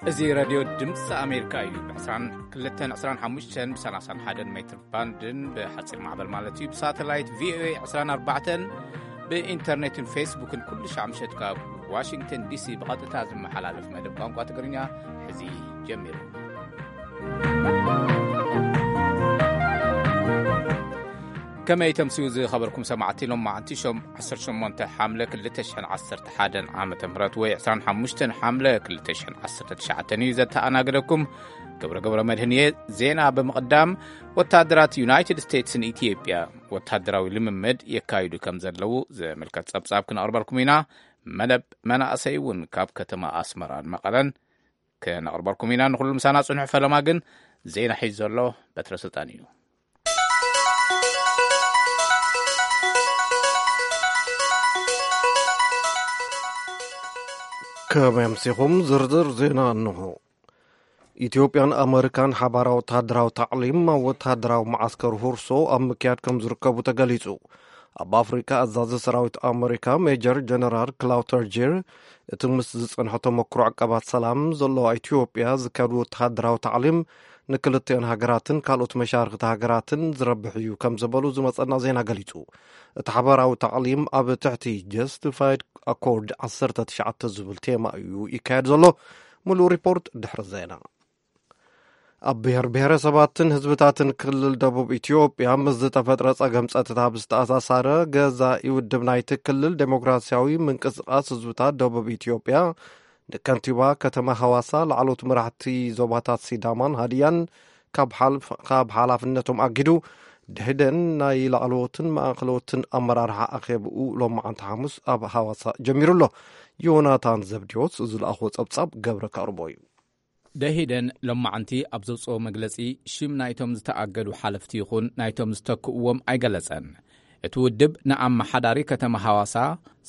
እዚ ሬድዮ ድምፂ ኣሜሪካ እዩ። ብ22፣ 25፣ ብ31 ሜትር ባንድን ብሓፂር ማዕበል ማለት እዩ፣ ብሳተላይት ቪኦኤ 24፣ ብኢንተርኔትን ፌስቡክን ኩሉ ሻዕ ምሸት ካብ ዋሽንግተን ዲሲ ብቐጥታ ዝመሓላለፍ መደብ ቋንቋ ትግርኛ ሕዚ ጀሚሩ። ከመይ ተምስዩ ዝኸበርኩም ሰማዕቲ፣ ሎም መዓንቲ ሸም-፣ 18 ሓምለ 2011 ዓመተ ምህረት ወይ 25 ሓምለ 2019 እዩ ዘተኣናግደኩም። ገብረ ገብረ መድህን እየ። ዜና ብምቕዳም፣ ወታደራት ዩናይትድ ስቴትስን ኢትዮጵያ ወታደራዊ ልምምድ የካይዱ ከም ዘለዉ ዝምልከት ጸብጻብ ክነቕርበልኩም ኢና። መደብ መናእሰይ እውን ካብ ከተማ ኣስመራን መቐለን ክነቕርበልኩም ኢና። ንኹሉ ምሳና ጽንሑ። ፈለማ ግን ዜና ሒዙ ዘሎ በትረ ስልጣን እዩ። ከመይ ኣምሲኹም? ዝርዝር ዜና እንሆ። ኢትዮጵያን ኣመሪካን ሓባራዊ ወታደራዊ ታዕሊም ኣብ ወታደራዊ መዓስከር ሁርሶ ኣብ ምክያድ ከም ዝርከቡ ተገሊጹ። ኣብ ኣፍሪካ ኣዛዚ ሰራዊት ኣመሪካ ሜጀር ጀነራል ክላውተር ጂር፣ እቲ ምስ ዝጸንሐ ተመክሮ ዕቀባት ሰላም ዘለዋ ኢትዮጵያ ዝካየድ ወተሃደራዊ ታዕሊም ንክልቲኦን ሃገራትን ካልኦት መሻርክቲ ሃገራትን ዝረብሕ እዩ ከም ዝበሉ ዝመጸና ዜና ገሊጹ። እቲ ሓባራዊ ታዕሊም ኣብ ትሕቲ ጀስቲፋይድ ኣኮርድ 19 ዝብል ቴማ እዩ ይካየድ ዘሎ። ሙሉእ ሪፖርት ድሕሪ ዜና። ኣብ ብሔር ብሔረሰባትን ህዝብታትን ክልል ደቡብ ኢትዮጵያ ምስ ዝተፈጥረ ጸገም ጸጥታ ብዝተኣሳሳረ፣ ገዛኢ ውድብ ናይቲ ክልል ዴሞክራሲያዊ ምንቅስቃስ ህዝብታት ደቡብ ኢትዮጵያ ንከንቲባ ከተማ ሃዋሳ፣ ላዕሎት መራሕቲ ዞባታት ሲዳማን ሃዲያን ካብ ሓልፍ-፣ ካብ ሓላፍነቶም ኣጊዱ፣ ደህደን ናይ ላዕለዎትን ማእኸለዎትን ኣመራርሓ ኣኼብኡ ሎማዓንቲ ሓሙስ ኣብ ሃዋሳ ጀሚሩ ኣሎ። ዮናታን ዘብዲዎስ ዝለኣኾ ጸብጻብ ገብረ ከቕርቦ እዩ። ደሂደን ሎማዓንቲ ኣብ ዘውፅኦ መግለፂ፣ ሽም ናይቶም ዝተኣገዱ ሓለፍቲ ይኹን ናይቶም ዝተክእዎም ኣይገለፀን። እቲ ውድብ ንኣመሓዳሪ ከተማ ሃዋሳ፣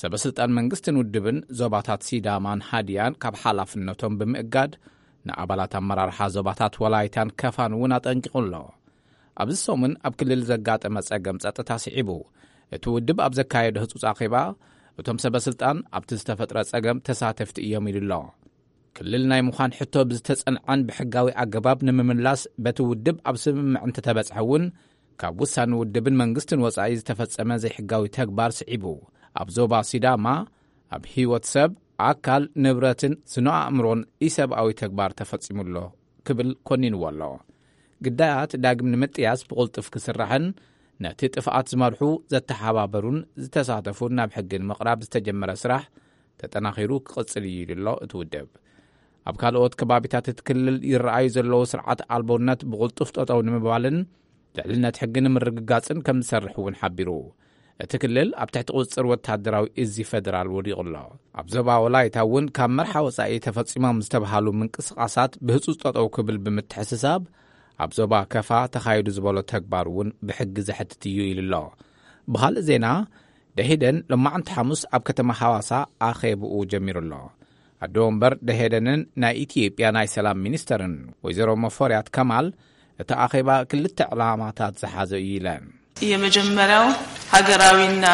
ሰበስልጣን መንግስትን ውድብን ዞባታት ሲዳማን ሃዲያን ካብ ሓላፍነቶም ብምእጋድ፣ ንኣባላት ኣመራርሓ ዞባታት ወላይታን ከፋን እውን ኣጠንቂቑ ኣሎ። ኣብዚ ሰሙን ኣብ ክልል ዘጋጠመ ጸገም ጸጥታ ስዒቡ፣ እቲ ውድብ ኣብ ዘካየዶ ህጹጽ ኣኼባ፣ እቶም ሰበስልጣን ኣብቲ ዝተፈጥረ ጸገም ተሳተፍቲ እዮም ኢሉ ኣሎ። ክልል ናይ ምዃን ሕቶ ብዝተጸንዐን ብሕጋዊ ኣገባብ ንምምላስ በቲ ውድብ ኣብ ስምምዕ እንተተበጽሐ እውን፣ ካብ ውሳኔ ውድብን መንግስትን ወጻኢ ዝተፈጸመ ዘይሕጋዊ ተግባር ስዒቡ፣ ኣብ ዞባ ሲዳማ ኣብ ህይወት ሰብ፣ ኣካል፣ ንብረትን ስነ ኣእምሮን ኢሰብኣዊ ተግባር ተፈጺሙ ኣሎ ክብል ኮኒንዎ ኣሎ። ግዳያት ዳግም ንምጥያስ ብቕልጡፍ ክስራሕን ነቲ ጥፍኣት ዝመርሑ፣ ዘተሓባበሩን ዝተሳተፉን ናብ ሕጊ ንምቕራብ ዝተጀመረ ስራሕ ተጠናኺሩ ክቕጽል እዩ ኢሉ ኣሎ እቲ ውድብ። ኣብ ካልኦት ከባቢታት እቲ ክልል ይረኣዩ ዘለዉ ስርዓት ኣልቦነት ብቕልጡፍ ጠጠው ንምባልን ልዕልነት ሕጊ ንምርግጋጽን ከም ዝሰርሕ እውን ሓቢሩ። እቲ ክልል ኣብ ትሕቲ ቁጽጽር ወታደራዊ እዚ ፌደራል ወዲቑ ኣሎ። ኣብ ዞባ ወላይታ እውን ካብ መርሓ ወጻኢ ተፈጺሞም ዝተባሃሉ ምንቅስቓሳት ብህጹጽ ጠጠው ክብል ብምትሕስሳብ፣ ኣብ ዞባ ከፋ ተኻይዱ ዝበሎ ተግባር እውን ብሕጊ ዘሕትት እዩ ኢሉ ኣሎ። ብኻልእ ዜና፣ ደሄደን ሎማዕንቲ ሓሙስ ኣብ ከተማ ሓዋሳ ኣኼብኡ ጀሚሩ ኣሎ። ኣዶ ወንበር ደሄደንን ናይ ኢትዮጵያ ናይ ሰላም ሚኒስተርን ወይዘሮ መፈርያት ከማል፣ እቲ ኣኼባ ክልተ ዕላማታት ዝሓዘ እዩ ኢለን። የመጀመሪያው ሀገራዊና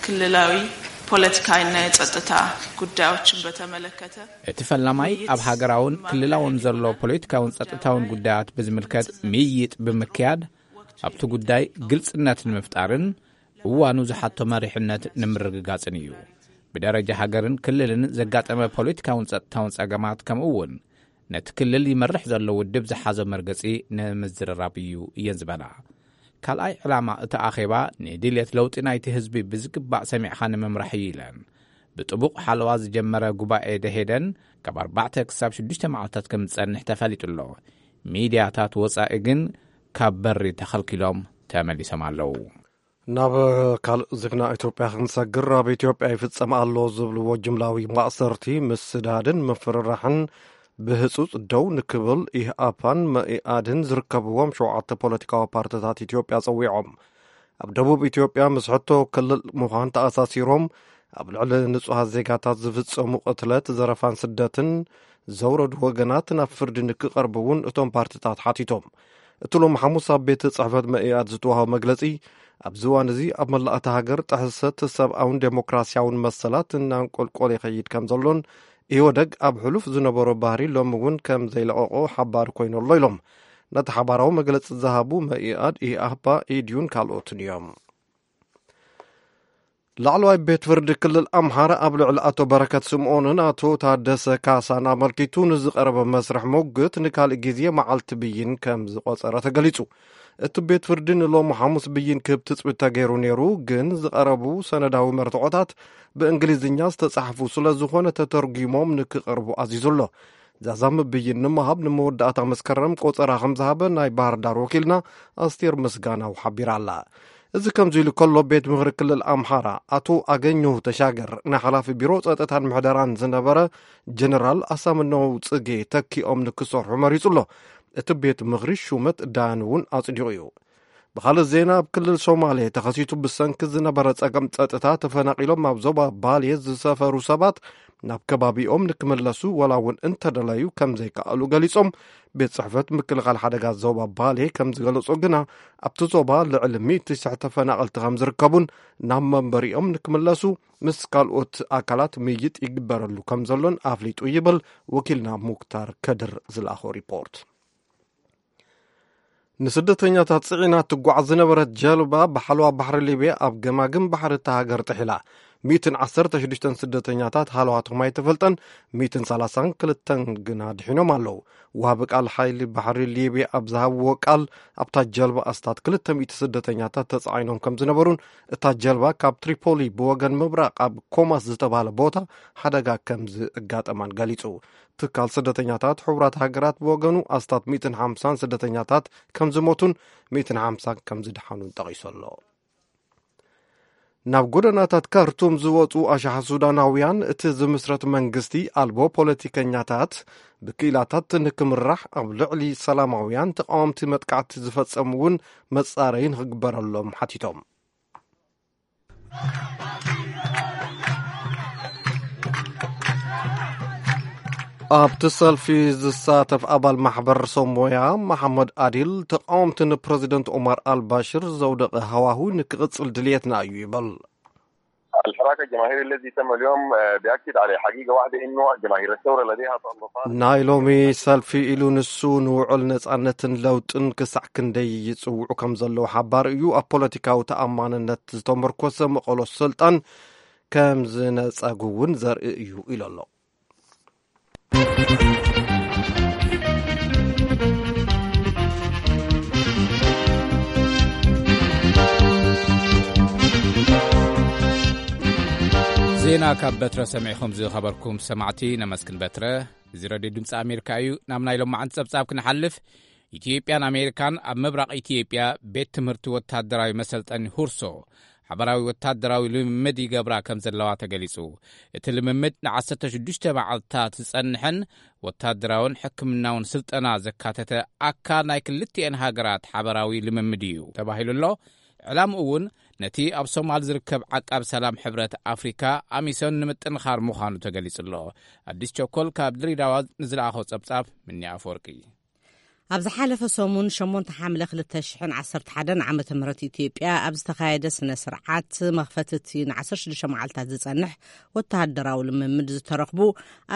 ክልላዊ ፖለቲካዊና የጸጥታ ጉዳዮችን በተመለከተ እቲ ፈላማይ ኣብ ሃገራውን ክልላውን ዘሎ ፖለቲካውን ጸጥታውን ጉዳያት ብዝምልከት ምይይጥ ብምክያድ፣ ኣብቲ ጉዳይ ግልጽነት ንምፍጣርን እዋኑ ዝሓቶ መሪሕነት ንምርግጋጽን እዩ። ብደረጃ ሃገርን ክልልን ዘጋጠመ ፖለቲካውን ጸጥታውን ጸገማት፣ ከምኡ እውን ነቲ ክልል ይመርሕ ዘሎ ውድብ ዝሓዞ መርገጺ ንምዝርራብ እዩ እየን ዝበላ። ካልኣይ ዕላማ እቲ ኣኼባ፣ ንድልየት ለውጢ ናይቲ ህዝቢ ብዝግባእ ሰሚዕኻ ንምምራሕ እዩ ኢለን። ብጥቡቕ ሓለዋ ዝጀመረ ጉባኤ ደሄደን ካብ ኣርባዕተ ክሳብ ሽዱሽተ መዓልታት ከም ዝጸንሕ ተፈሊጡ ኣሎ። ሚድያታት ወጻኢ ግን ካብ በሪ ተኸልኪሎም ተመሊሶም ኣለዉ። ናብ ካልእ ዜና ኢትዮጵያ ክንሰግር፣ ኣብ ኢትዮጵያ ይፍጸም ኣሎ ዝብልዎ ጅምላዊ ማእሰርቲ፣ ምስዳድን ምፍርራሕን ብህጹጽ ደው ንክብል ኢህኣፓን መኢኣድን ዝርከብዎም ሸውዓተ ፖለቲካዊ ፓርትታት ኢትዮጵያ ጸዊዖም። ኣብ ደቡብ ኢትዮጵያ ምስ ሕቶ ክልል ምዃን ተኣሳሲሮም ኣብ ልዕሊ ንጹሃት ዜጋታት ዝፍጸሙ ቅትለት፣ ዘረፋን ስደትን ዘውረዱ ወገናት ናብ ፍርዲ ንክቐርቡ እውን እቶም ፓርትታት ሓቲቶም። እቲ ሎም ሓሙስ ኣብ ቤት ጽሕፈት መኢኣድ ዝተዋህበ መግለጺ፣ ኣብዚ እዋን እዚ ኣብ መላእ እታ ሃገር ጥሕሰት ሰብኣውን ዴሞክራሲያውን መሰላት እናንቆልቆለ ይኸይድ ከም ዘሎን ኢህወደግ ኣብ ሕሉፍ ዝነበሮ ባህሪ ሎሚ እውን ከም ዘይለቐቖ ሓባሪ ኮይኑ ኣሎ ኢሎም። ነቲ ሓባራዊ መግለጺ ዝሃቡ መኢኣድ፣ ኢህኣፓ፣ ኢድዩን ካልኦትን እዮም። ላዕለዋይ ቤት ፍርዲ ክልል ኣምሓራ ኣብ ልዕሊ ኣቶ በረከት ስምኦንን ኣቶ ታደሰ ካሳን ኣመልኪቱ ንዝቐረበ መስርሕ ሞግት ንካልእ ግዜ መዓልቲ ብይን ከም ዝቖጸረ ተገሊጹ። እቲ ቤት ፍርዲ ንሎሚ ሓሙስ ብይን ክህብ ትጽቢት ተገይሩ ነይሩ፣ ግን ዝቐረቡ ሰነዳዊ መርትዖታት ብእንግሊዝኛ ዝተጻሕፉ ስለ ዝኾነ ተተርጒሞም ንክቐርቡ ኣዚዙ ኣሎ። ዛዛሚ ብይን ንምሃብ ንመወዳእታ መስከረም ቆጸራ ከም ዝሃበ ናይ ባህር ዳር ወኪልና ኣስቴር ምስጋናው ሓቢራ ኣላ። እዚ ከምዚ ኢሉ ከሎ፣ ቤት ምኽሪ ክልል ኣምሓራ ኣቶ ኣገኘሁ ተሻገር ንሓላፊ ቢሮ ጸጥታን ምሕደራን ዝነበረ ጀነራል ኣሳምነው ጽጌ ተኪኦም ንክሰርሑ መሪጹ ኣሎ። እቲ ቤት ምኽሪ ሹመት ዳያን እውን ኣጽዲቑ እዩ። ብኻልእ ዜና፣ ኣብ ክልል ሶማሌ ተኸሲቱ ብሰንኪ ዝነበረ ጸገም ጸጥታ ተፈናቒሎም ኣብ ዞባ ባሌ ዝሰፈሩ ሰባት ናብ ከባቢኦም ንክምለሱ ዋላ እውን እንተደለዩ ከም ዘይከኣሉ ገሊጾም። ቤት ጽሕፈት ምክልኻል ሓደጋ ዞባ ባሌ ከም ዝገለጾ ግና፣ ኣብቲ ዞባ ልዕሊ ሚእቲ ሽሕ ተፈናቐልቲ ከም ዝርከቡን ናብ መንበሪኦም ንክምለሱ ምስ ካልኦት ኣካላት ምይይጥ ይግበረሉ ከም ዘሎን ኣፍሊጡ ይብል ወኪልና ሙክታር ከድር ዝለኣኾ ሪፖርት። ንስደተኛታት ጽዒና ትጓዓዝ ዝነበረት ጀልባ ብሓለዋ ባሕሪ ሊብያ ኣብ ገማግም ባሕሪ እታ ሃገር ጥሒላ። ሚእትን ዓሰርተ ሽዱሽተን ስደተኛታት ሃለዋቶም ኣይተፈልጠን፣ ሚእትን ሰላሳን ክልተን ግና ድሒኖም ኣለዉ። ወሃቢ ቃል ሓይሊ ባሕሪ ሊብያ ኣብ ዝሃብዎ ቃል፣ ኣብታ ጀልባ ኣስታት ክልተ ሚእቲ ስደተኛታት ተጻዒኖም ከም ዝነበሩን እታ ጀልባ ካብ ትሪፖሊ ብወገን ምብራቕ ኣብ ኮማስ ዝተባህለ ቦታ ሓደጋ ከም ዝእጋጠማን ገሊጹ። ትካል ስደተኛታት ሕቡራት ሃገራት ብወገኑ ኣስታት ሚእትን ሓምሳን ስደተኛታት ከም ዝሞቱን ሚእትን ሓምሳን ከም ዝደሓኑን ጠቒሱ ኣሎ። ናብ ጎደናታት ካርቱም ዝወጹ ኣሽሓት ሱዳናውያን፣ እቲ ዝምስረት መንግስቲ ኣልቦ ፖለቲከኛታት ብክኢላታት ንክምራሕ፣ ኣብ ልዕሊ ሰላማውያን ተቃወምቲ መጥቃዕቲ ዝፈጸሙ እውን መጻረዪ ንክግበረሎም ሓቲቶም። ኣብቲ ሰልፊ ዝሳተፍ ኣባል ማሕበር ሶሞያ መሓመድ ኣዲል፣ ተቃወምቲ ንፕረዚደንት ኦማር ኣልባሽር ዘውደቐ ሃዋሁ ንክቕጽል ድልየትና እዩ ይብል። الحراك الجماهيري الذي تم اليوم، آه، بيأكد على حقيقة واحدة، إنه جماهير الثورة لديها تطلعات. ናይ ሎሚ ሰልፊ ኢሉ ንሱ ንውዕል ነጻነትን ለውጥን ክሳዕ ክንደይ ይጽውዑ ከም ዘለዉ ሓባር እዩ። ኣብ ፖለቲካዊ ተኣማንነት ዝተመርኮሰ መቐሎ ስልጣን ከም ዝነጸጉ እውን ዘርኢ እዩ ኢሉ ኣሎ። ዜና ካብ በትረ ሰሚዕኹም ዝኸበርኩም ሰማዕቲ ነመስግን በትረ። እዚ ረድዮ ድምፂ ኣሜሪካ እዩ። ናብ ናይ ሎማዓንቲ ጸብጻብ ክንሓልፍ፣ ኢትዮጵያን ኣሜሪካን ኣብ ምብራቕ ኢትዮጵያ ቤት ትምህርቲ ወታደራዊ መሰልጠኒ ሁርሶ ሓበራዊ ወታደራዊ ልምምድ ይገብራ ከም ዘለዋ ተገሊጹ። እቲ ልምምድ ንዓሰርተ ሽዱሽተ መዓልታት ዝጸንሕን ወታደራውን ሕክምናውን ስልጠና ዘካተተ ኣካል ናይ ክልቲኤን ሃገራት ሓበራዊ ልምምድ እዩ ተባሂሉ ኣሎ። ዕላምኡ እውን ነቲ ኣብ ሶማል ዝርከብ ዓቃብ ሰላም ሕብረት ኣፍሪካ ኣሚሶን ንምጥንኻር ምዃኑ ተገሊጹ ኣሎ። ኣዲስ ቸኮል ካብ ድሬዳዋ ንዝለኣኾ ጸብጻብ ምኒ ኣፈወርቂ። ኣብ ዝሓለፈ ሰሙን ሸሞንተ ሓምለ ክልተ ሽሕን ዓሰርተ ሓደን ዓመተ ምህረት ኢትዮጵያ ኣብ ዝተኻየደ ስነ ስርዓት መኽፈቲ እቲ ንዓሰርተ ሽዱሽተ መዓልታት ዝጸንሕ ወተሃደራዊ ልምምድ ዝተረኽቡ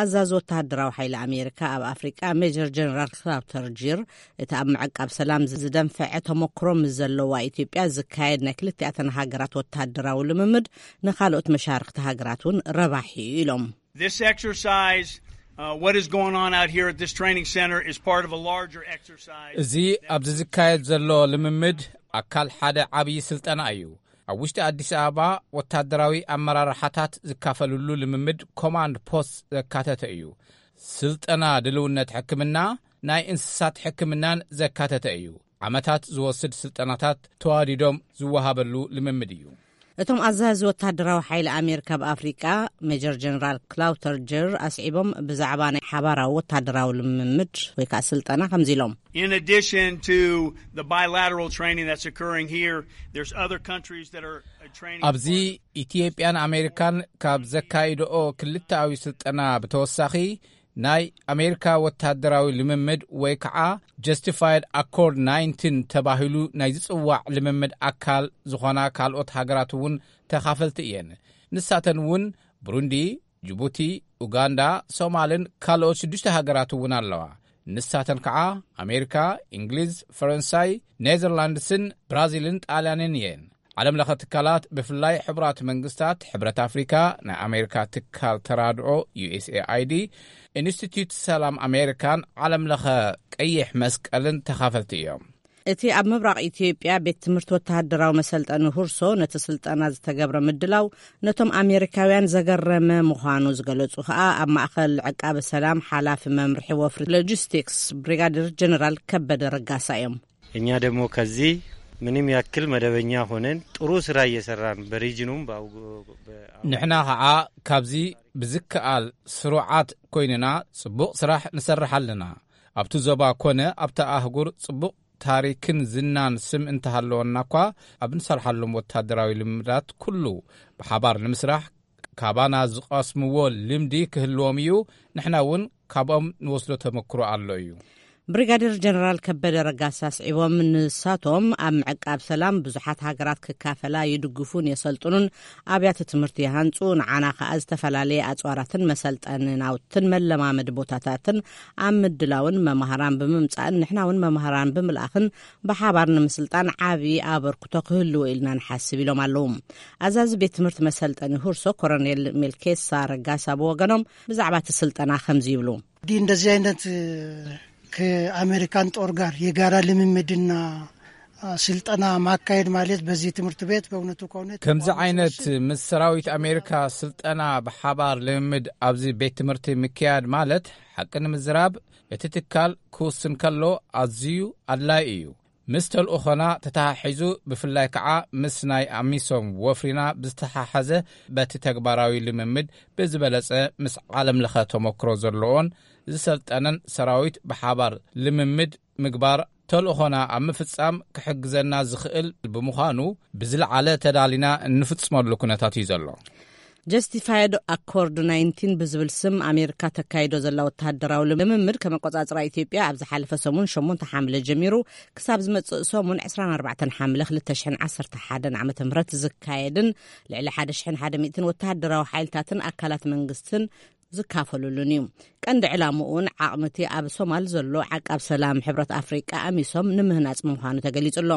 ኣዛዚ ወተሃደራዊ ሓይሊ ኣሜሪካ ኣብ ኣፍሪቃ ሜጀር ጀነራል ክላውተር ጂር፣ እቲ ኣብ ምዕቃብ ሰላም ዝደንፈዐ ተመክሮ ምስ ዘለዋ ኢትዮጵያ ዝካየድ ናይ ክልቲኣተን ሃገራት ወተሃደራዊ ልምምድ ንኻልኦት መሻርኽቲ ሃገራት እውን ረባሒ እዩ ኢሎም። This exercise, uh, what is going on out here at this training center is part of a larger exercise. እዚ ኣብዚ ዝካየድ ዘሎ ልምምድ ኣካል ሓደ ዓብዪ ስልጠና እዩ። ኣብ ውሽጢ ኣዲስ ኣበባ ወታደራዊ ኣመራርሓታት ዝካፈልሉ ልምምድ ኮማንድ ፖስት ዘካተተ እዩ። ስልጠና ድልውነት ሕክምና፣ ናይ እንስሳት ሕክምናን ዘካተተ እዩ። ዓመታት ዝወስድ ስልጠናታት ተዋዲዶም ዝወሃበሉ ልምምድ እዩ። እቶም ኣዛዚ ወታደራዊ ሓይሊ ኣሜሪካ ኣብ ኣፍሪቃ ሜጀር ጀነራል ክላውተር ጀር ኣስዒቦም ብዛዕባ ናይ ሓባራዊ ወታደራዊ ልምምድ ወይ ከዓ ስልጠና ከምዚ ኢሎም። In addition to the bilateral training that's occurring here, there's other countries that are uh, training ኣብዚ ኢትዮጵያን ኣሜሪካን ካብ ዘካይድኦ ክልተኣዊ ስልጠና ብተወሳኺ ናይ ኣሜሪካ ወታደራዊ ልምምድ ወይ ከዓ ጀስቲፋይድ ኣኮርድ ናይንቲን ተባሂሉ ናይ ዝጽዋዕ ልምምድ ኣካል ዝኾና ካልኦት ሃገራት እውን ተኻፈልቲ እየን። ንሳተን እውን ብሩንዲ፣ ጅቡቲ፣ ኡጋንዳ፣ ሶማልን ካልኦት ሽዱሽተ ሃገራት እውን ኣለዋ። ንሳተን ከዓ ኣሜሪካ፣ እንግሊዝ፣ ፈረንሳይ፣ ኔዘርላንድስን ብራዚልን ጣልያንን እየን። ዓለም ለኸ ትካላት፣ ብፍላይ ሕቡራት መንግስታት፣ ሕብረት ኣፍሪካ፣ ናይ ኣሜሪካ ትካል ተራድኦ፣ ዩ ኤስ ኤ ኣይ ዲ፣ ኢንስቲትዩት ሰላም ኣሜሪካን ዓለም ለኸ ቀይሕ መስቀልን ተኻፈልቲ እዮም። እቲ ኣብ ምብራቕ ኢትዮጵያ ቤት ትምህርቲ ወተሃደራዊ መሰልጠኒ ሁርሶ ነቲ ስልጠና ዝተገብረ ምድላው ነቶም ኣሜሪካውያን ዘገረመ ምዃኑ ዝገለጹ ከኣ ኣብ ማእከል ዕቃበ ሰላም ሓላፊ መምርሒ ወፍሪ ሎጂስቲክስ ብሪጋደር ጀነራል ከበደ ረጋሳ እዮም። እኛ ደግሞ ከዚህ ምንም ያክል መደበኛ ሆነን ጥሩ ስራ እየሰራን በሪጅኑም በአውጎ- በአውጎ- ንሕና ኸዓ ካብዚ ብዝከኣል ስሩዓት ኮይንና ጽቡቕ ስራሕ ንሰርሕ ኣለና። ኣብቲ ዞባ ኮነ ኣብቲ ኣህጉር ጽቡቕ ታሪክን ዝናን ስም እንተሃለወና እኳ፣ ኣብ ንሰርሓሎም ወታደራዊ ልምዳት ኩሉ ብሓባር ንምስራሕ፣ ካባና ዝቐስምዎ ልምዲ ክህልዎም እዩ። ንሕና እውን ካብኦም ንወስዶ ተመክሮ ኣሎ እዩ። ብሪጋዴር ጀነራል ከበደ ረጋሳ ኣስዒቦም፣ ንሳቶም ኣብ ምዕቃብ ሰላም ብዙሓት ሃገራት ክካፈላ ይድግፉን የሰልጥኑን፣ ኣብያተ ትምህርቲ ይሃንጹ፣ ንዓና ከኣ ዝተፈላለየ ኣጽዋራትን መሰልጠኒ ናውትን መለማመዲ ቦታታትን ኣብ ምድላውን መማህራን ብምምጻእን ንሕና እውን መማህራን ብምልኣኽን ብሓባር ንምስልጣን ዓቢ ኣበርክቶ ክህልዎ ኢልና ንሓስብ ኢሎም ኣለዉ። ኣዛዚ ቤት ትምህርቲ መሰልጠኒ ሁርሶ ኮሎኔል ሜልኬሳ ረጋሳ ብወገኖም ብዛዕባ እቲ ስልጠና ከምዚ ይብሉ። እንግዲህ እንደዚህ አይነት ከአሜሪካን ጦር ጋር የጋራ ልምምድና ስልጠና ማካሄድ ማለት በዚህ ትምህርት ቤት በእውነቱ ከሆነ ከምዚ ዓይነት ምስ ሰራዊት ኣሜሪካ ስልጠና ብሓባር ልምምድ ኣብዚ ቤት ትምህርቲ ምክያድ ማለት፣ ሓቂ ንምዝራብ፣ እቲ ትካል ክውስን ከሎ ኣዝዩ ኣድላይ እዩ። ምስ ተልእኾና ተተሓሒዙ፣ ብፍላይ ከዓ ምስ ናይ ኣሚሶም ወፍሪና ብዝተሓሓዘ፣ በቲ ተግባራዊ ልምምድ ብዝበለጸ ምስ ዓለም ለኸ ተመክሮ ዘለዎን ዝሰልጠነን ሰራዊት ብሓባር ልምምድ ምግባር ተልእኾና ኣብ ምፍጻም ክሕግዘና ዝኽእል ብምዃኑ፣ ብዝለዓለ ተዳሊና እንፍጽመሉ ኩነታት እዩ ዘሎ። ጀስቲፋይድ ኣኮርድ ናይንቲን ብዝብል ስም ኣሜሪካ ተካይዶ ዘላ ወተሃደራዊ ልምምድ ከመቆጻጽራ ኢትዮጵያ ኣብ ዝሓለፈ ሰሙን ሸሞንተ ሓምለ ጀሚሩ ክሳብ ዝመጽእ ሰሙን ዕስራን ኣርባዕተን ሓምለ ክልተ ሽሕን ዓሰርተ ሓደን ዓመተ ምህረት ዝካየድን ልዕሊ ሓደ ሽሕን ሓደ ሚእትን ወተሃደራዊ ሓይልታትን ኣካላት መንግስትን ዝካፈሉሉን እዩ። ቀንዲ ዕላምኡን ዓቕምቲ ኣብ ሶማል ዘሎ ዓቃብ ሰላም ሕብረት ኣፍሪቃ ኣሚሶም ንምህናጽ ምዃኑ ተገሊጹ ኣሎ።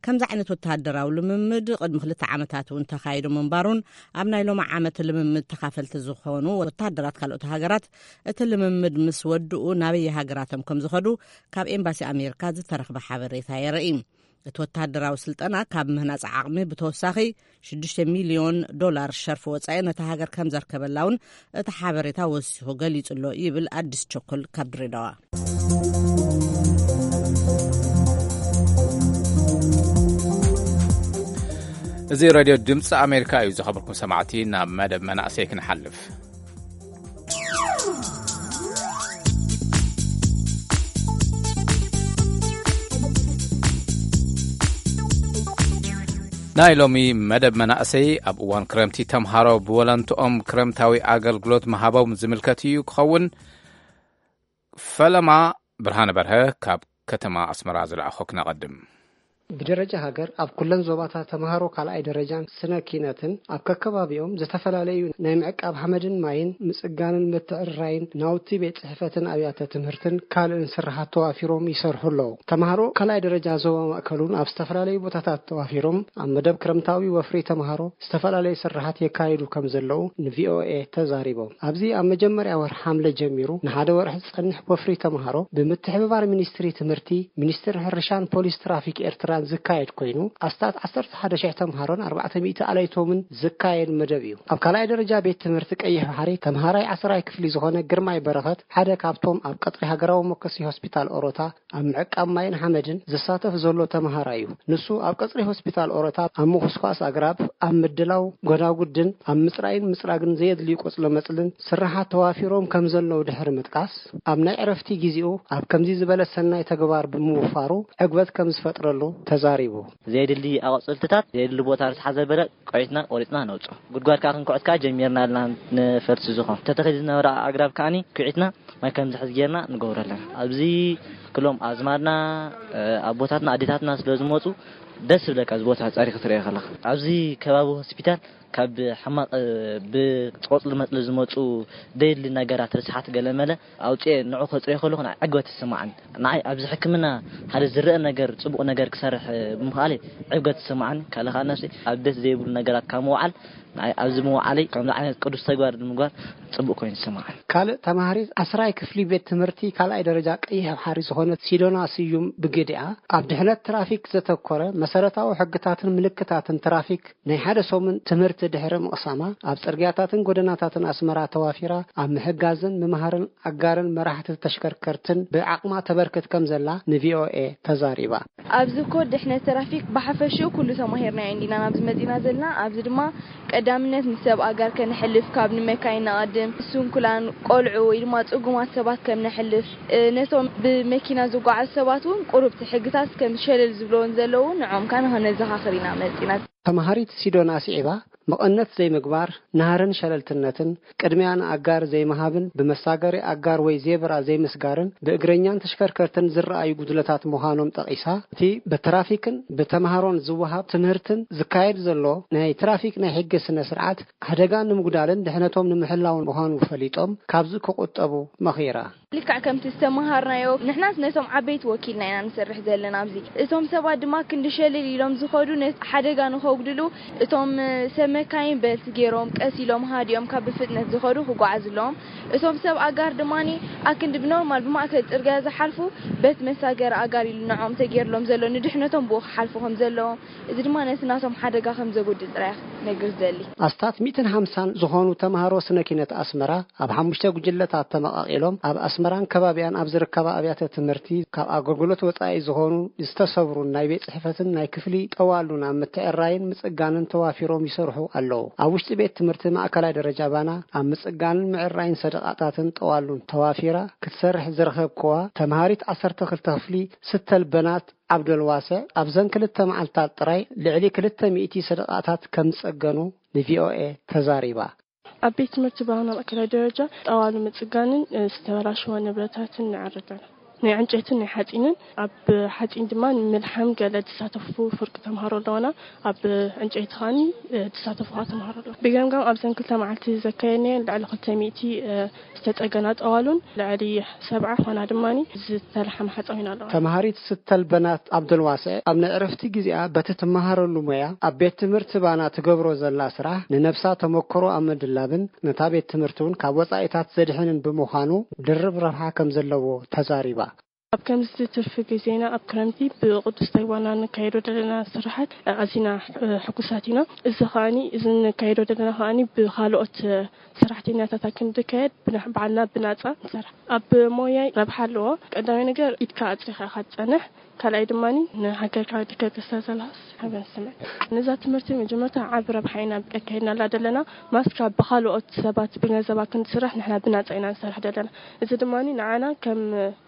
ከምዚ ዓይነት ወተሃደራዊ ልምምድ ቅድሚ ክልተ ዓመታት እውን ተኻይዱ ምንባሩን ኣብ ናይ ሎሚ ዓመት ልምምድ ተኻፈልቲ ዝኾኑ ወተሃደራት ካልኦት ሃገራት እቲ ልምምድ ምስ ወድኡ ናበየ ሃገራቶም ከም ዝኸዱ ካብ ኤምባሲ ኣሜሪካ ዝተረኽበ ሓበሬታ የርኢ። እቲ ወተሃደራዊ ስልጠና ካብ ምህናጽ ዓቕሚ ብተወሳኺ ሽዱሽተ ሚልዮን ዶላር ሸርፊ ወጻኢ ነታ ሃገር ከም ዘርከበላ እውን እቲ ሓበሬታ ወሲኹ ገሊጹ ኣሎ ይብል ኣዲስ ቸኮል ካብ ድሬዳዋ። እዚ ሬድዮ ድምፂ ኣሜሪካ እዩ። ዝኸበርኩም ሰማዕቲ፣ ናብ መደብ መናእሰይ ክንሓልፍ። ናይ ሎሚ መደብ መናእሰይ፣ ኣብ እዋን ክረምቲ ተምሃሮ ብወለንትኦም ክረምታዊ ኣገልግሎት ምሃቦም ዝምልከት እዩ ክኸውን። ፈለማ ብርሃነ በርሀ ካብ ከተማ ኣስመራ ዝለኣኾ ክነቐድም። ብደረጃ ሃገር ኣብ ኩለን ዞባታት ተምሃሮ ካልኣይ ደረጃን ስነ ኪነትን ኣብ ከከባቢኦም ዝተፈላለዩ ናይ ምዕቃብ ሓመድን ማይን ምጽጋንን ምትዕርራይን ናውቲ ቤት ጽሕፈትን ኣብያተ ትምህርትን ካልእን ስርሓት ተዋፊሮም ይሰርሑ ኣለዉ። ተምሃሮ ካልኣይ ደረጃ ዞባ ማእከል እውን ኣብ ዝተፈላለዩ ቦታታት ተዋፊሮም ኣብ መደብ ክረምታዊ ወፍሪ ተምሃሮ ዝተፈላለዩ ስርሓት የካይዱ ከም ዘለዉ ንቪኦኤ ተዛሪቦም። ኣብዚ ኣብ መጀመርያ ወርሒ ሓምለ ጀሚሩ ንሓደ ወርሒ ዝጸንሕ ወፍሪ ተምሃሮ ብምትሕብባር ሚኒስትሪ ትምህርቲ፣ ሚኒስትሪ ሕርሻን ፖሊስ ትራፊክ ኤርትራን ዝካየድ ኮይኑ፣ ኣስታት ዓሰርተ ሓደ ሽሕ ተምሃሮን ኣርባዕተ ሚእቲ ኣለይቶምን ዝካየድ መደብ እዩ። ኣብ ካልኣይ ደረጃ ቤት ትምህርቲ ቀይሕ ባሕሪ ተምሃራይ ዓስራይ ክፍሊ ዝኾነ ግርማይ በረኸት ሓደ ካብቶም ኣብ ቀጽሪ ሃገራዊ መኮሲ ሆስፒታል ኦሮታ ኣብ ምዕቃብ ማይን ሓመድን ዝሳተፍ ዘሎ ተምሃራይ እዩ። ንሱ ኣብ ቀጽሪ ሆስፒታል ኦሮታ ኣብ ምኹስኳስ ኣግራብ፣ ኣብ ምድላው ጎዳጉድን ኣብ ምጽራይን ምጽራግን ዘየድልዩ ቆጽሎ መጽልን ስርሓት ተዋፊሮም ከም ዘለዉ ድሕሪ ምጥቃስ፣ ኣብ ናይ ዕረፍቲ ግዜኡ ኣብ ከምዚ ዝበለ ሰናይ ተግባር ብምውፋሩ ዕግበት ከም ዝፈጥረሉ ተዛሪቡ። ዘየድሊ ኣቆጽልትታት፣ ዘየድሊ ቦታ ርትሓ ዘበለ ቆይትና ቆሪጽና ነውጽኦ። ጉድጓድ ከኣ ክንኩዕት ከኣ ጀሚርና ኣለና፣ ንፈልሲ ዝኾን ተተኺሉ ዝነበረ ኣግራብ ከኣኒ ኩዒትና ማይ ከም ዝሕዝ ጌርና ንገብሮ ኣለና። ኣብዚ ክሎም ኣዝማድና፣ ኣቦታትና፣ ኣዴታትና ስለ ዝመጹ ደስ ይብለካ፣ እዚ ቦታ ጸሪኽ ትርእዮ ከለኻ። ኣብዚ ከባቢ ሆስፒታል ካብ ሕማቕ ብቆፅሊ መፅሊ ዝመፁ ደይድሊ ነገራት፣ ርስሓት፣ ገለመለ ኣውፅኤ ንዑ ከፅርዮ ከለኹ ንዓይ ዕግበት ይስማዓኒ። ንዓይ ኣብዚ ሕክምና ሓደ ዝረአ ነገር፣ ፅቡቕ ነገር ክሰርሕ ብምኽኣለይ ዕግበት ይስማዓኒ። ካልእ ከዓ ነፍሲ ኣብ ደስ ዘይብሉ ነገራት ካብ ምውዓል ንዓይ ኣብዚ ምውዓለይ ከምዚ ዓይነት ቅዱስ ተግባር ንምግባር ፅቡቕ ኮይኑ ይስማዓኒ። ካልእ ተማሃሪት ዓስራይ ክፍሊ ቤት ትምህርቲ ካልኣይ ደረጃ ቀይሕ ባሕሪ ዝኾነት ሲዶና ስዩም ብግዲኣ፣ ኣብ ድሕነት ትራፊክ ዘተኮረ መሰረታዊ ሕግታትን ምልክታትን ትራፊክ ናይ ሓደ ሰሙን ትምህርቲ ድሕሪ ምቕሳማ፣ ኣብ ጽርግያታትን ጎደናታትን ኣስመራ ተዋፊራ ኣብ ምሕጋዝን ምምሃርን ኣጋርን መራሕቲ ተሽከርከርትን ብዓቕማ ተበርክት ከም ዘላ ን ቪ ኦ ኤ ተዛሪባ። ኣብዚ ኮድ ድሕነት ትራፊክ ብሓፈሽኡ ኩሉ ተማሂርናዮ እንዲና ናብዚ መጺና ዘለና። ኣብዚ ድማ ቀዳምነት ንሰብ ኣጋር ከነሕልፍ፣ ካብ ንመካይን ንቐድም፣ ስንኩላን፣ ቆልዑ ወይ ድማ ጽጉማት ሰባት ከም ነሕልፍ፣ እ፣ ነቶም ብመኪና ዝጓዓዙ ሰባት እውን ቁሩብ እቲ ሕግታት ከም ሸለል ዝብለዎን ዘለዉ ንዖም ከኣ ንኸነዘኻኽር ኢና መጺና። ተማሃሪት ሲዶና ስዒባ፣ መቐነት ዘይምግባር፣ ናህርን ሸለልትነትን፣ ቅድሚያ ንኣጋር ዘይምሃብን ብመሳገሪ ኣጋር ወይ ዜብራ ዘይምስጋርን ብእግረኛን ተሽከርከርትን ዝረኣዩ ጉድለታት ምዃኖም ጠቒሳ፣ እቲ ብትራፊክን ብተምሃሮን ዝወሃብ ትምህርትን ዝካየድ ዘሎ ናይ ትራፊክ ናይ ሕጊ ስነ ስርዓት ሓደጋ ንምጉዳልን ድሕነቶም ንምሕላውን ምዃኑ ፈሊጦም ካብዚ ክቑጠቡ መኺራ። ልክዕ ከምቲ ዝተመሃርናዮ፣ ንሕናስ ነቶም ዓበይቲ ወኪልና ኢና ንሰርሕ ዘለና ኣብዚ። እቶም ሰባት ድማ ክንዲ ሸልል ኢሎም ዝኸዱ ነቲ ሓደጋ ንኸጉድሉ፣ እቶም ሰብ መካይን በልት ገይሮም ቀስ ኢሎም ሃዲኦም ካብ ብፍጥነት ዝኸዱ ክጓዓዙ ኣለዎም። እቶም ሰብ ኣጋር ድማ ኣክንዲ ብኖርማል ብማእከል ጽርግያ ዝሓልፉ በቲ መሳገሪ ኣጋር ኢሉ ንዖም ተገይርሎም ዘሎ ንድሕነቶም ብኡ ክሓልፉ ከም ዘለዎም፣ እዚ ድማ ነቲ ናቶም ሓደጋ ከም ዘጉድል ጥራይ ክነግር ዝደሊ። ኣስታት ሚእትን ሓምሳን ዝኾኑ ተምሃሮ ስነ ኪነት ኣስመራ ኣብ ሓሙሽተ ጉጅለታት ተመቓቒሎም ኣብ ኣስመራን ከባቢያን ኣብ ዝርከባ ኣብያተ ትምህርቲ ካብ ኣገልግሎት ወጻኢ ዝኾኑ ዝተሰብሩን ናይ ቤት ጽሕፈትን ናይ ክፍሊ ጠዋሉን ኣብ ምትዕራይን ምጽጋንን ተዋፊሮም ይሰርሑ ኣለዉ። ኣብ ውሽጢ ቤት ትምህርቲ ማእከላይ ደረጃ ባና ኣብ ምጽጋንን ምዕራይን ሰደቓታትን ጠዋሉን ተዋፊራ ክትሰርሕ ዝረኸብክዋ ተምሃሪት ዓሰርተ ክልተ ክፍሊ ስተል በናት ዓብደልዋስዕ ኣብዘን ክልተ መዓልታት ጥራይ ልዕሊ ክልተ ሚእቲ ሰደቓታት ከም ዝጸገኑ ን ቪ ኦ ኤ ተዛሪባ። ኣብ ቤት ትምህርቲ ባህና ማእከላይ ደረጃ ጠዋሉ ምጽጋንን፣ እ፣ ዝተበላሸወ ንብረታትን ንዕርግ ኣለና። ናይ ዕንጨይትን ናይ ሓጺንን፣ ኣብ ሓጺን ድማ ንምልሓም ገለ ዝሳተፉ ፍርቂ ተምሃሮ ኣለውና። ኣብ ዕንጨይቲ ከኣኒ፣ እ፣ ዝሳተፉ ከኣ ተምሃሮ ኣለዉ። ብገምጋም ኣብዘን ክልተ መዓልቲ ዘካየድናየን ልዕሊ ክልተ ሚእቲ፣ እ፣ ዝተጸገና ጠዋሉን ልዕሊ ሰብዓ ኾና ድማኒ ዝተለሓማ ሓጻዊን ኣለዋ። ተምሃሪት ስተል በናት ዓብደልዋስዕ ኣብ ናይ ዕረፍቲ ግዜኣ በቲ ትመሃረሉ ሞያ ኣብ ቤት ትምህርቲ ባና ትገብሮ ዘላ ስራሕ ንነብሳ ተመክሮ ኣብ ምድላብን ነታ ቤት ትምህርቲ እውን ካብ ወጻኢታት ዘድሕንን ብምዃኑ ድርብ ረብሓ ከም ዘለዎ ተዛሪባ። ኣብ ከምዚ ትርፊ ግዜና ኣብ ክረምቲ ብቅዱስ ተግባርና ንካየዶ ዘለና ስራሓት ኣዚና፣ እ፣ ሕጉሳት ኢና። እዚ ከኣኒ፣ እዚ ንካየዶ ዘለና ከኣኒ ብኻልኦት፣ እ፣ ሰራሕተኛታት ኣክንዲ ከየድ ብና-፣ ባዕልና ብናጻ ንሰርሕ። ኣብ ሞያይ ረብሓ ኣለዎ። ቀዳማይ ነገር ኢድካ ኣጽሪኻ ኢኻ ትጸንሕ። ካልኣይ ድማኒ ንሃገርካ ድከ ተስተዘላስ ሓበን ስምዕ። ነዛ ትምህርቲ መጀመርታ ዓቢ ረብሓ ኢና ኣካይድናላ ዘለና። ማስካ ብኻልኦት ሰባት ብገንዘብ ኣክንዲ ስራሕ ንሕና ብናጻ ኢና ንሰርሕ ዘለና። እዚ ድማኒ ንዓና ከም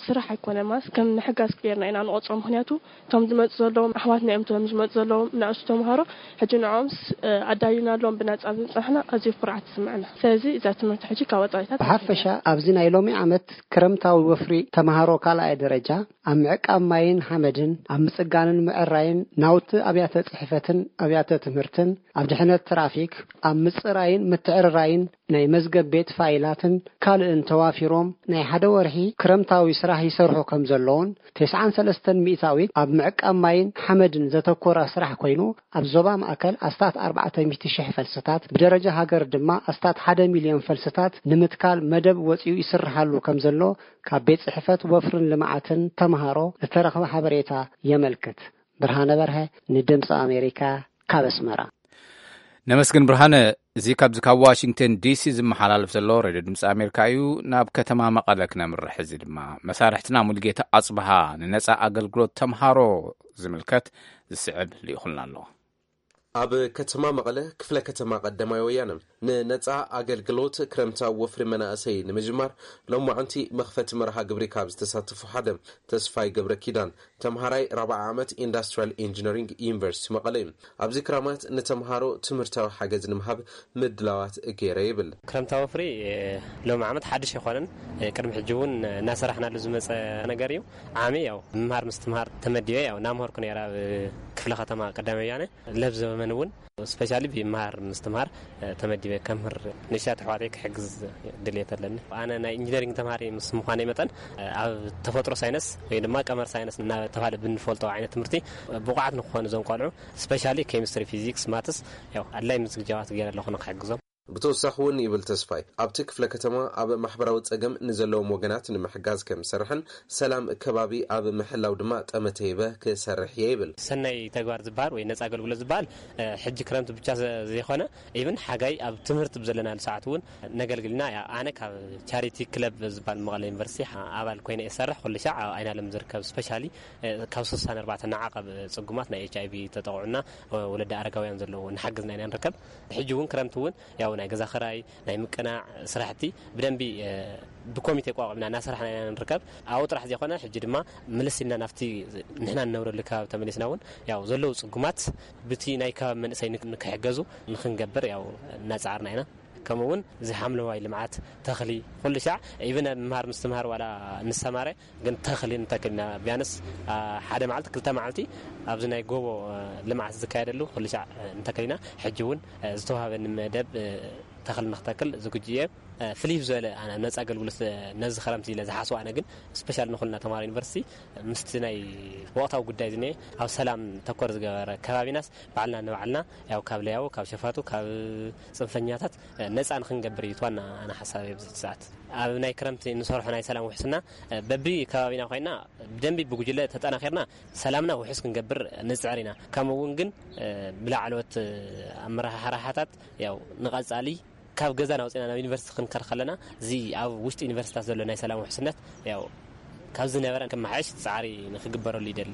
ስራሕ ኣይኮነ፣ ማስ ከም ምሕጋዝ ገይርና ኢና ንቆጽሮ። ምኽንያቱ እቶም ዝመጹ ዘለዉ ኣሕዋትና እዮም፣ እቶም ዝመጹ ዘለዉ ንኣሽቱ ተምሃሮ ሕጂ ንዕኦምስ፣ እ፣ ኣዳሊናሎም ብናጻ ብምጽናሕና ኣዝዩ ኩርዓት ይስምዐና። ስለዚ እዛ ትምህርቲ ሕጂ ካብ ወጻኢታት ብሓፈሻ ኣብዚ ናይ ሎሚ ዓመት ክረምታዊ ወፍሪ ተምሃሮ ካልኣይ ደረጃ ኣብ ምዕቃብ ማይን ሓመድን፣ ኣብ ምጽጋንን ምዕራይን ናውቲ ኣብያተ ጽሕፈትን ኣብያተ ትምህርትን፣ ኣብ ድሕነት ትራፊክ፣ ኣብ ምጽራይን ምትዕርራይን ናይ መዝገብ ቤት ፋይላትን ካልእን ተዋፊሮም ናይ ሓደ ወርሒ ክረምታዊ ስራሕ ይሰርሑ ከም ዘለውን፣ ተስዓን ሰለስተን ሚእታዊት ኣብ ምዕቃብ ማይን ሓመድን ዘተኮረ ስራሕ ኮይኑ፣ ኣብ ዞባ ማእከል ኣስታት ኣርባዕተ ሚእቲ ሽሕ ፈልስታት፣ ብደረጃ ሃገር ድማ ኣስታት ሓደ ሚልዮን ፈልስታት ንምትካል መደብ ወጺኡ ይስርሓሉ ከም ዘሎ ካብ ቤት ጽሕፈት ወፍርን ልምዓትን ተምሃሮ ዝተረኽበ ሓበሬታ የመልክት። ብርሃነ በርሀ ንድምፂ ኣሜሪካ ካብ ኣስመራ። ነመስግን ብርሃነ። እዚ ካብዚ ካብ ዋሽንግተን ዲ ሲ ዝመሓላለፍ ዘሎ ሬድዮ ድምፂ ኣሜሪካ እዩ። ናብ ከተማ መቐለ ክነምርሕ። እዚ ድማ መሳርሕትና ሙሉጌታ ኣፅብሃ ንነፃ ኣገልግሎት ተምሃሮ ዝምልከት ዝስዕብ ልኢኹልና ኣሎ። ኣብ ከተማ መቐለ ክፍለ ከተማ ቀዳማይ ወያነ ንነፃ ኣገልግሎት ክረምታዊ ወፍሪ መናእሰይ ንምጅማር ሎማዕንቲ መኽፈቲ መርሃ ግብሪ ካብ ዝተሳተፉ ሓደ ተስፋይ ገብረ ኪዳን ተምሃራይ ራብዓይ ዓመት ኢንዳስትሪያል ኢንጂነሪንግ ዩኒቨርሲቲ መቐለ እዩ። ኣብዚ ክራማት ንተምሃሮ ትምህርታዊ ሓገዝ ንምሃብ ምድላዋት ገይረ ይብል። ክረምታዊ ወፍሪ፣ እ፣ ሎሚ ዓመት ሓድሽ ኣይኮነን። እ፣ ቅድሚ ሕጂ እውን እናሰራሕናሉ ዝመፀ ነገር እዩ። ዓሚ ያው ምምሃር ምስትምሃር ተመዲበ ያው እናምሃርኩ ነይረ ኣብ ክፍለ ከተማ ቀዳማይ ወያነ። ለብ ዘበመ ኣነ እውን ስፔሻሊ ብመሃር ምስትምሃር ተመዲበ ከምህር ንእሽተይ ኣሕዋተይ ክሕግዝ ድልየት ኣለኒ። ኣነ ናይ ኢንጂነሪንግ ተምሃሪ ምስ ምዃነይ መጠን ኣብ ተፈጥሮ ሳይንስ ወይ ድማ ቀመር ሳይንስ እናተባሃለ ብንፈልጦ ዓይነት ትምህርቲ ብቑዓት ንክኾኑ እዞም ቆልዑ ስፔሻሊ ኬሚስትሪ፣ ፊዚክስ፣ ማትስ ያው ኣድላይ ምዝግጃዋት ገይረ ኣለኹ ንክሕግዞም። ብተወሳኺ እውን ይብል ተስፋይ፣ ኣብቲ ክፍለ ከተማ ኣብ ማሕበራዊ ጸገም ንዘለዎም ወገናት ንምሕጋዝ ከም ዝሰርሕን ሰላም ከባቢ ኣብ ምሕላው ድማ ጠመተ ይበ ክሰርሕ እየ ይብል። ሰናይ ተግባር ዝበሃል ወይ ነጻ ኣገልግሎት ዝበሃል ሕጂ ክረምቲ ብቻ ዘይኮነ ኢቭን ሓጋይ ኣብ ትምህርቲ ብዘለናሉ ሰዓት እውን ነገልግልና። ኣነ ካብ ቻሪቲ ክለብ ዝበሃል መቐለ ዩኒቨርሲቲ ኣባል ኮይነ እሰርሕ ኩሉ ሻዕ ኣብ ኣይናለም ዝርከብ ስፔሻሊ ካብ ስሳን ኣርባዕተ ንዓቐብ ጽጉማት ናይ ኤች ኣይቪ ተጠቕዑና ወለዲ ኣረጋውያን ዘለዎ ንሓግዝና ኢና ንርከብ። ሕጂ እውን ክረምቲ እውን ያው ናይ ገዛ ክራይ ናይ ምቅናዕ ስራሕቲ ብደንቢ ብኮሚቴ ቋቋምና እናሰራሕና ኢና ንርከብ። ኣብኡ ጥራሕ ዘይኮነ ሕጂ ድማ ምልስ ኢልና ናብቲ ንሕና ንነብረሉ ከባቢ ተመሊስና እውን ያው ዘለዉ ጽጉማት ብቲ ናይ ከባቢ መንእሰይ ንክሕገዙ ንክንገብር ያው እናጻዕርና ኢና። ከምኡ እውን እዚ ሓምለዋይ ልምዓት ተኽሊ ኩሉ ሻዕ ኢቭን ኣብ ምምሃር ምስትምሃር ዋላ ንሰማረ ግን ተኽሊ ንተክልና ቢያንስ ሓደ መዓልቲ ክልተ መዓልቲ ኣብዚ ናይ ጎቦ ልምዓት ዝካየደሉ ኩሉ ሻዕ እንተክልና ሕጂ እውን ዝተዋሃበኒ መደብ ተኽሊ ንክተክል ዝግጁ እየ። ፍልይ ዝበለ ኣነ ነፃ ኣገልግሎት ነዚ ክረምቲ ኢለ ዝሓስቦ ኣነ ግን ስፔሻል ንኩልና ተማሃሮ ዩኒቨርሲቲ ምስቲ ናይ ወቕታዊ ጉዳይ ዝኒኤ ኣብ ሰላም ተኮር ዝገበረ ከባቢናስ ባዕልና ንባዕልና ያው ካብ ለያቡ ካብ ሸፋቱ ካብ ፅንፈኛታት ነፃ ንክንገብር እዩ ዋና ኣነ ሓሳብ ኣብዚ ሰዓት ኣብ ናይ ክረምቲ ንሰርሖ ናይ ሰላም ውሕስና በቢ ከባቢና ኮይና ብደንቢ ብጉጅለ ተጠናኺርና ሰላምና ውሕስ ክንገብር ንፅዕር ኢና። ከምኡ እውን ግን ብላዕለዎት ኣመራሓሓታት ያው ንቐፃሊ ካብ ገዛና ወፂና ናብ ዩኒቨርሲቲ ክንከድ ከለና እዚ ኣብ ውሽጢ ዩኒቨርሲታት ዘሎ ናይ ሰላም ውሕስነት ያው ካብ ዝነበረ ክመሓየሽ ፃዕሪ ንክግበረሉ ይደሊ።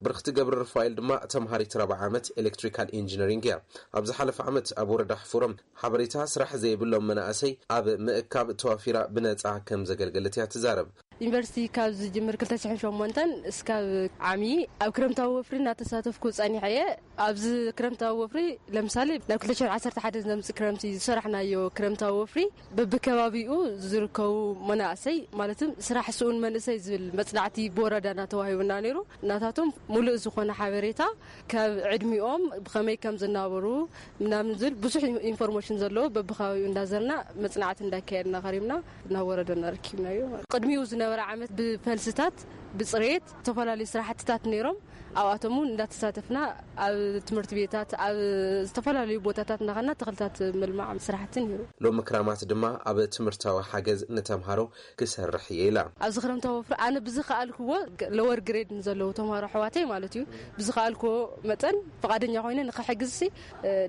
ብርክቲ ገብረ ሩፋኤል ድማ ተምሃሪት ራብዓ ዓመት ኤሌክትሪካል ኢንጂነሪንግ እያ። ኣብ ዝሓለፈ ዓመት ኣብ ወረዳ ሕፉሮም ሓበሬታ ስራሕ ዘይብሎም መናእሰይ ኣብ ምእካብ ተዋፊራ ብነፃ ከም ዘገልገለት እያ ትዛረብ። ዩኒቨርሲቲ ካብ ዝጅምር ክልተ ሽሕን ሸሞንተን እስካብ ዓሚ ኣብ ክረምታዊ ወፍሪ እናተሳተፍኩ ጸኒሐ እየ። ኣብዚ ክረምታዊ ወፍሪ ለምሳሌ ናብ ክልተ ሽሕን ዓሰርተ ሓደን ዘምጽእ ክረምቲ ዝሰራሕናዮ ክረምታዊ ወፍሪ በብከባቢኡ ዝርከቡ መናእሰይ ማለትም ስራሕ ስኡን መንእሰይ ዝብል መጽናዕቲ ብወረዳና ተዋሂቡና ነይሩ። ናታቶም ሙሉእ ዝኾነ ሓበሬታ ካብ ዕድሚኦም ብኸመይ ከም ዝናበሩ ምናምን ዝብል ብዙሕ ኢንፎርሜሽን ዘለዎ በብከባቢኡ እንዳዘርና መጽናዕቲ እንዳካየድና ከሪምና ናብ ወረዳና ረኪብናዮ። ቅድሚኡ ዝነበረ ዓመት ብፈልስታት ብፅሬት ዝተፈላለዩ ስራሕትታት ነይሮም። ኣብኣቶም እውን እንዳተሳተፍና ኣብ ትምህርቲ ቤታት ኣብ ዝተፈላለዩ ቦታታት እንዳኸና ተኽልታት ምልማዕ ስራሕቲ ነይሩ። ሎሚ ክራማት ድማ ኣብ ትምህርታዊ ሓገዝ ንተምሃሮ ክሰርሕ እየ ኢላ። ኣብዚ ክረምታዊ ወፍሪ ኣነ ብዝኸኣልክዎ ለወር ግሬድ ንዘለዉ ተምሃሮ ኣሕዋተይ ማለት እዩ ብዝኸኣልክዎ መጠን ፍቓደኛ ኮይነ ንክሕግዝሲ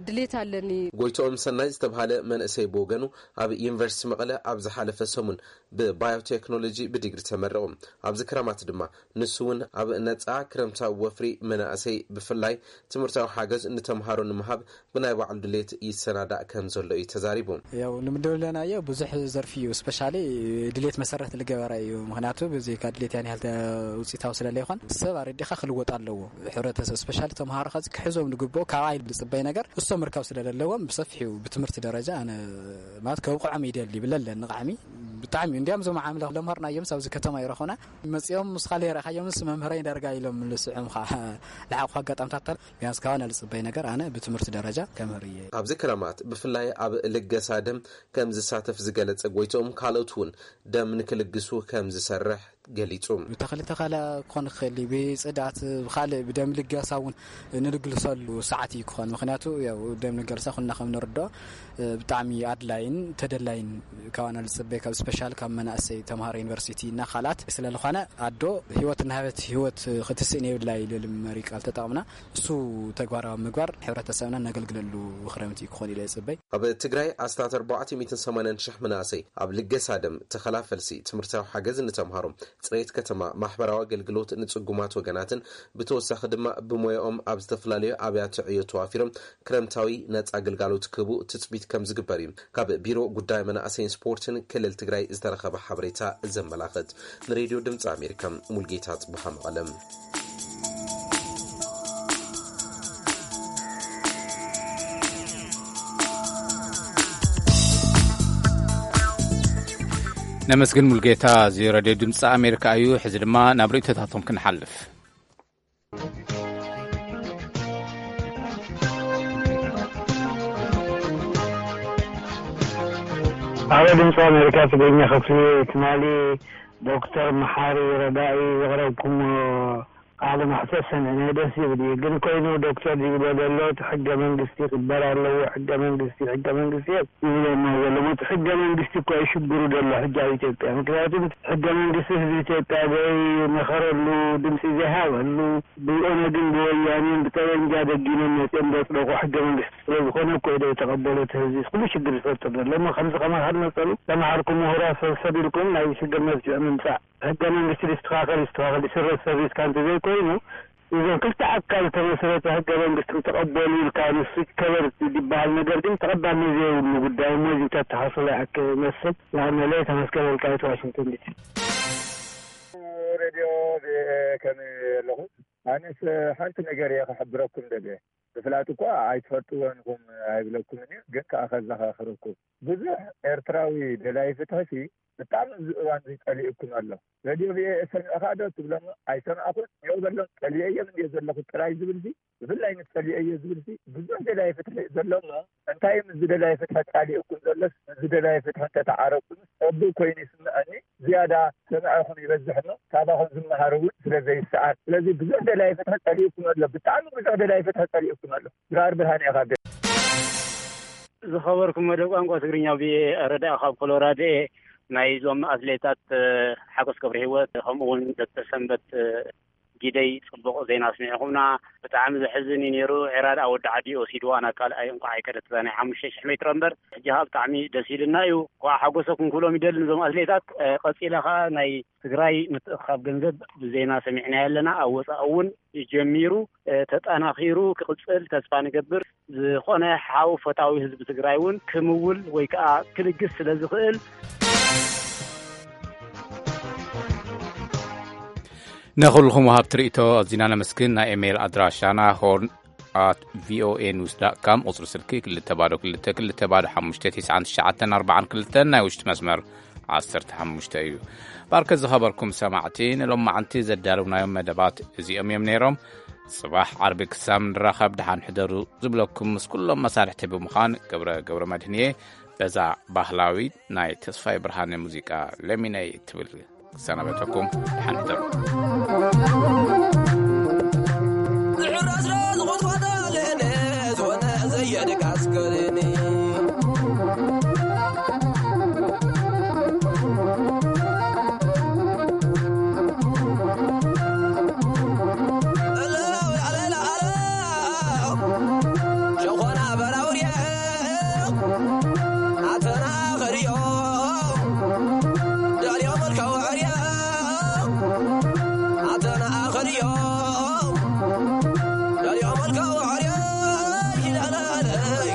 ድሌት ኣለኒ። ጎይትኦም ሰናይ ዝተብሃለ መንእሰይ ብወገኑ ኣብ ዩኒቨርሲቲ መቐለ ኣብ ዝሓለፈ ሰሙን ብባዮቴክኖሎጂ ብዲግሪ ተመረቑ። ኣብዚ ክረማት ድማ ንሱ እውን ኣብ ነፃ ክረምታዊ ወፍሪ መናእሰይ ብፍላይ ትምህርታዊ ሓገዝ ንተምሃሮ ንምሃብ ብናይ ባዕሉ ድሌት ይሰናዳእ ከም ዘሎ እዩ ተዛሪቡ። ያው ንምድብ ኣለናዮ ብዙሕ ዘርፊ እዩ ስፔሻሊ ድሌት መሰረት ዝገበረ እዩ። ምክንያቱ ብዘይካ ድሌት ያን ያህል ውፅኢታዊ ስለለይኮን ሰብ ኣረዲኻ ክልወጥ ኣለዎ። ሕብረተሰብ ስፔሻሊ ተምሃሮ ከዚ ክሕዞም ዝግብኦ ካብ ኣይል ዝፅበይ ነገር እሶም ምርካብ ስለለለዎም ብሰፊሑ ብትምህርቲ ደረጃ ኣነ ማለት ከብቅዖም ይደሊ ይብለለ ንቃዕሚ ብጣዕሚ እንዲያም ዞም ዓምለ ለምሃርናዮም ኣብዚ ከተማ ይረኹና መፂኦም ምስኻ ለይረእኻዮምስ መምህረይ ዳርጋ ኢሎም ልስዕምኻ ልሓቑ ኣጋጣምታት ቢያንስ ካባና ልፅበይ ነገር ኣነ ብትምህርቲ ደረጃ ከምህር እየ። ኣብዚ ክረማት ብፍላይ ኣብ ልገሳ ደም ከም ዝሳተፍ ዝገለጸ ጎይትኦም ካልኦት እውን ደም ንክልግሱ ከም ዝሰርሕ ገሊጹ። ብተኽሊ ተኸላ ክኾን ክኽእል እዩ፣ ብፅዳት ብካልእ ብደም ልገሳ እውን ንልግልሰሉ ሰዓት እዩ ክኾን። ምክንያቱ ያው ደም ልገሳ ኩልና ከም ንርድኦ ብጣዕሚ ኣድላይን ተደላይን ካባና ዝፅበይ ካብ ስፔሻል ካብ መናእሰይ ተምሃሮ ዩኒቨርሲቲ እና ካልኣት ስለዝኾነ ኣዶ ህይወት እናሃበት ህይወት ክትስእን የብላ ኢሉ መሪ ቃል ተጠቕምና እሱ ተግባራዊ ምግባር ሕብረተሰብና ነገልግለሉ ክረምቲ ክኾን ኢለ ይፅበይ። ኣብ ትግራይ ኣስታት ኣርባዕተ ሚእትን ሰማንያን ሽሕ መናእሰይ ኣብ ልገሳ ደም፣ ተኸላ ፈልሲ፣ ትምህርታዊ ሓገዝ ንተምሃሮ፣ ፅሬት ከተማ፣ ማሕበራዊ ኣገልግሎት ንፅጉማት ወገናትን ብተወሳኺ ድማ ብሞያኦም ኣብ ዝተፈላለዩ ኣብያተ ዕዮ ተዋፊሮም ክረምታዊ ነፃ ግልጋሎት ክህቡ ትፅቢት ከም ዝግበር እዩ ካብ ቢሮ ጉዳይ መናእሰይን ስፖርትን ክልል ትግራይ ዝተረኸበ ሓበሬታ ዘመላኽት። ንሬድዮ ድምፂ ኣሜሪካ ሙልጌታ ፅቡሃ መቐለም። ነመስግን ሙልጌታ። እዚ ሬድዮ ድምፂ ኣሜሪካ እዩ። ሕዚ ድማ ናብ ርእይቶታቶም ክንሓልፍ። ኣብ ድምፂ ኣሜሪካ ትግርኛ ክፍሊ ትማሊ ዶክተር መሓሪ ረዳኢ ዘቕረብኩሞ ቃለ መሕተት ሰሚዕናዮ፣ ደስ ዝብል እዩ። ግን ኮይኑ ዶክተር ዝብሎ ዘሎ እቲ ሕገ መንግስቲ ክበር ኣለዎ፣ ሕገ መንግስቲ፣ ሕገ መንግስቲ እዮም ይብለና ዘሎ። እቲ ሕገ መንግስቲ እኮ እዩ ሽግሩ ዘሎ ሕጂ ኣብ ኢትዮጵያ። ምክንያቱ ሕገ መንግስቲ ህዝቢ ኢትዮጵያ ዘይመኸረሉ፣ ድምፂ ዘይሃበሉ፣ ብኦነግን ብወያኔን ብጠበንጃ ደጊኖም መፂኦም ዘፅደቑ ሕገ መንግስቲ ስለ ዝኾነ እኮ እዩ ዘይተቐበሎ እቲ ህዝቢ ኩሉ ሽግር ዝፈጥር ዘሎ። እሞ ከምዚ ከማኻን መሰሉ ተምሃርኩም ምሁራት ሰብሰብ ኢልኩም ናይ ሽግር መፍትሒ ምምፃእ፣ ሕገ መንግስቲ ይስተኻኸል ይስተኻኸል ይስረዝ ሰሪዝካ እንተዘይኮይኑ፣ እዞም ክልተ ኣካል ዝተመስረተ ሕገ መንግስቲ ክተቐበሉ ኢልካ ንሱ ይከበር ዝበሃል ነገር ግን ተቐባልነት ዘይብሉ ጉዳይ እሞ እዚ ተተሓስሎ ይኣክል መስል። ንኣመለ ተመስገን ወልቃይት ዋሽንግተን ዲሲ። ሬድዮ ከመይ ኣለኹም? ኣነስ ሓንቲ ነገር እየ ክሕብረኩም ደልየ። ብፍላጥ እኳ ኣይትፈልጥዎን ኢኹም ኣይብለኩምን እዩ፣ ግን ከኣ ከዘኻኽረኩም። ብዙሕ ኤርትራዊ ደላይ ፍትሒ ሲ ብጣዕሚ እዚ እዋን እዚ ጸሊኡኩም ኣሎ። ሬድዮ ቪኦኤ ሰሚዕኻ ዶ ትብሎም? ኣይሰማዕኩን። ይኸው በሎም፣ ጸሊኤዮም እንድየ ዘለኹ ጥራይ ዝብል ሲ፣ ብፍላይ ምስ ጸሊኤዮ ዝብል ሲ፣ ብዙሕ ደላይ ፍትሒ ዘሎ እሞ፣ እንታይ ምስ ዝደላይ ፍትሒ ጻሊኡኩም ዘሎስ፣ ምስ ዝደላይ ፍትሒ እንተተዓረቁ ምስ ጸቡቅ ኮይኑ ይስምዐኒ። ዝያዳ ሰማዕኹም ይበዝሕ እሞ፣ ካባኹም ዝመሃር እውን ስለ ዘይሰኣን። ስለዚ ብዙሕ ደላይ ፍትሒ ጸሊኡኩም ኣሎ፣ ብጣዕሚ ብዙሕ ደላይ ፍትሒ ጸሊኡኩም ኣሎ። ድራር ብርሃን ኢኻ። ዝኸበርኩም መደብ ቋንቋ ትግርኛ ቪኦኤ ረዳኢ ካብ ኮሎራዶ እየ። ናይዞም ኣትሌታት፣ እ፣ ሓጎስ ገብረ ህይወት ከምኡ እውን ዶክተር ሰንበት፣ እ፣ ጊደይ ጽቡቕ ዜና ኣስሚዕኹምና። ብጣዕሚ ዘሕዝን እዩ ነይሩ። ዒራድ ኣብ ወዲ ዓዲ ወሲድዋ ናብ ካልኣይ እንቋዕ ኣይከደት እዛ ናይ ሓሙሽተ ሽሕ ሜትሮ እምበር። ሕጂ ኸኣ ብጣዕሚ ደስ ኢልና እዩ። እንቋዕ ሓጎሰኩም ክብሎም ይደሊ ነዞም ኣትሌታት። እ፣ ቀጺለ ኸኣ ናይ ትግራይ ምትእኽኻብ ገንዘብ ብዜና ሰሚዕናዮ ኣለና። ኣብ ወጻኢ እውን ጀሚሩ፣ እ፣ ተጠናኺሩ ክቕጽል ተስፋ ንገብር። ዝኾነ ሓው ፈታዊ ህዝቢ ትግራይ እውን ክምውል ወይ ከዓ ክልግስ ስለ ዝኽእል። ንኹልኹም ወሃብቲ ርእይቶ ኣዚና ነመስግን። ናይ ኢሜይል ኣድራሻና ሆርን ኣት ቪኦኤ ኒውስ ዳት ካም፣ ቁጽሪ ስልኪ ክልተ ባዶ ክልተ ክልተ ባዶ ሓሙሽተ ትሽዓን ትሽዓተን ኣርባዓን ክልተን፣ ናይ ውሽጢ መስመር ዓሰርተ ሓሙሽተ እዩ። ባርከ ዝኸበርኩም ሰማዕቲ፣ ንሎማዓንቲ ዘዳለውናዮም መደባት እዚኦም እዮም ነይሮም። ጽባሕ ዓርቢ ክሳብ ንራኸብ ደሓን ሕደሩ ዝብለኩም ምስ ኩሎም መሳርሕቲ ብምዃን ገብረ ገብረ መድህን እየ። በዛ ባህላዊት ናይ ተስፋይ ብርሃነ ሙዚቃ ለሚነይ እትብል ክሰናበተኩም፣ ደሓን ሕደሩ። ዝሕረስ ዶ ዝኹትኳቶ ኣለኒ፣ ዝኾነ ዘየድካ ኣስከረኒ። ሸኾና በራውርየ ኣተና ኸድዮ ደልዮ መልካ ወዕርየ ኣተና ኸድዮ ደልዮ መልካ ወዕርየ ይላለለይ።